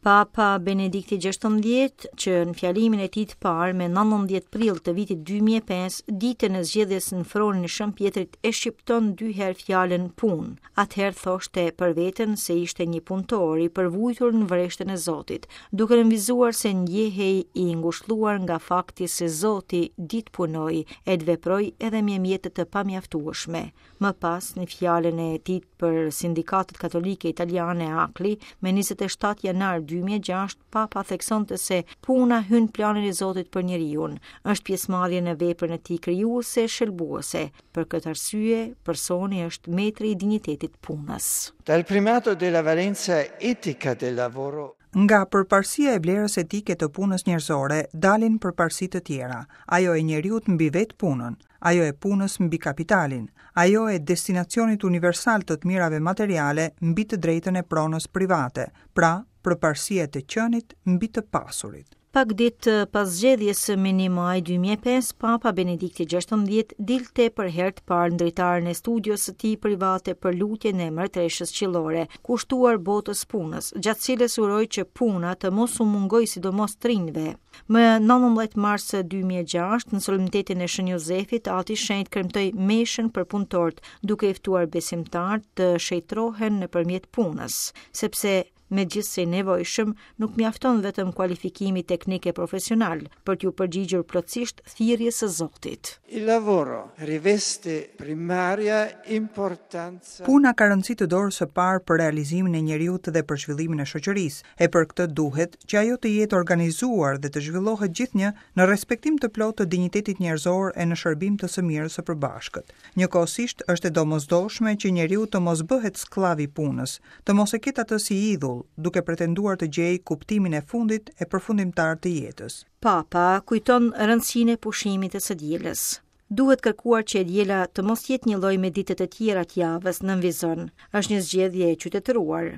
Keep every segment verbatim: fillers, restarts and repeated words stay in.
Papa Benedikti gjashtëmbëdhjetë, që në fjalimin e tij të parë me nëntëmbëdhjetë prill të vitit dy mijë e pesë, ditën e zgjedhjes në fronin e Shën Pjetrit, e shqipton dy herë fjalën punë. Atëherë thoshte për veten se ishte një punëtor i përvujtur në vreshtën e Zotit, duke nënvizuar se ndjehej i ngushlluar nga fakti se Zoti di të punojë e të veprojë edhe me mjete të pamjaftueshme. Më pas, në fjalën e tij për sindikatet katolike italiane A C L I, me njëzet e shtatë janar dy mijë e gjashtë, Papa theksonte se puna hyn planin e Zotit për njeriun, është pjesëmarrje në veprën e tij krijuese e shëlbuese. Për këtë arsye, personi është metri i dinjitetit punës. Dal primato della valenza etica del lavoro Nga përparësia e vlerës etike të punës njerëzore dalin përparësi të tjera, ajo e njeriut mbi vetë punën, ajo e punës mbi kapitalin, ajo e destinacionit universal të të mirave materiale mbi të drejtën e pronës private, pra përparësia e të qenit mbi të pasurit. Pak ditë pas zgjedhjes së një maj dy mijë e pesë, Papa Benedikti gjashtëmbëdhjetë dilte për herë të parë në dritaren e studios së tij private për lutjen e mbretëreshës qiellore, kushtuar botës punës, gjatë cilës uroi që puna të mos u mungojë sidomos të rinjve. Më nëntëmbëdhjetë mars dy mijë e gjashtë, në solemnitetin e Shën Jozefit, Ati Shenjt kremtoi meshën për punëtorët, duke i ftuar besimtarët të shenjtrohen nëpërmjet punës, sepse megjithëse i nevojshëm, nuk mjafton vetëm kualifikimi teknik e profesional për t'ju përgjigjur plotësisht thirrjes së Zotit. Il lavoro riveste primaria importanza. Puna ka rëndësi të dorës së parë për realizimin e njeriut dhe për zhvillimin e shoqërisë, e për këtë duhet që ajo të jetë organizuar dhe të zhvillohet gjithnjë në respektim të plotë të dinjitetit njerëzor e në shërbim të së mirës së përbashkët. Njëkohësisht është e domosdoshme që njeriu të mos bëhet skllav i punës, të mos e ketë atë si idhull, duke pretenduar të gjejë kuptimin e fundit e përfundimtar të jetës. Papa kujton rëndësinë e pushimit të së dielës. Duhet kërkuar që e diela të mos jetë një lloj me ditët e tjera të javës, nënvizon. Është një zgjedhje e qytetëruar.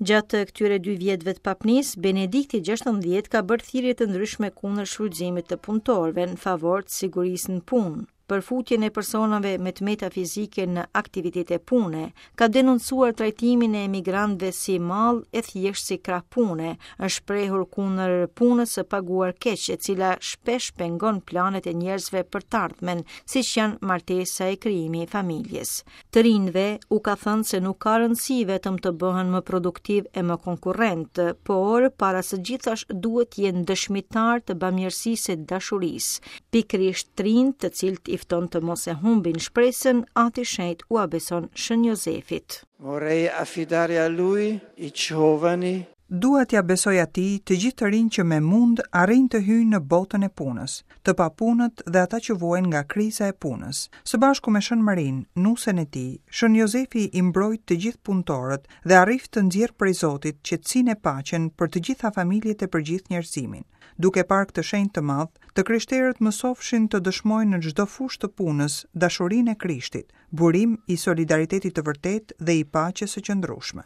Gjatë këtyre dy vjetëve të papnis, Benedikti gjashtëmbëdhjetë ka bërë thirrje të ndryshme kundër shfrytëzimit të punëtorëve në favor të sigurisë në punë, për futjen e personave me të meta fizike në aktivitete pune, ka denoncuar trajtimin e emigrantëve si mall e thjesht si krah pune, është shprehur kundër punës së paguar keq, e cila shpesh pengon planet e njerëzve për të ardhmen, siç janë martesa e krijimi i familjes. Të rinjve u ka thënë se nuk ka rëndësi vetëm të bëhen më produktiv e më konkurrent, por para së gjithash duhet të jenë dëshmitar të bamirësisë e dashurisë. Pikërisht të rinjt, të cilët i fton të mos e humbin shpresën, Ati Shenjt ua beson Shën Jozefit. Vorrei affidare a lui i giovani. Dua t'ja besoj atij të gjithë të rinj që me mund arrijnë të hyjnë në botën e punës, të papunët dhe ata që vuajnë nga kriza e punës. Së bashku me Shën Marin, nusen e tij, Shën Jozefi i mbrojt të gjithë punëtorët dhe arrif të nxjerr prej Zotit qetësinë e paqen për të gjitha familjet e për gjithë njerëzimin. Duke parë këtë shenjë të madh, të krishterët mësofshin të dëshmojnë në çdo fushë të punës dashurinë e Krishtit, burim i solidaritetit të vërtetë dhe i paqes së qëndrueshme.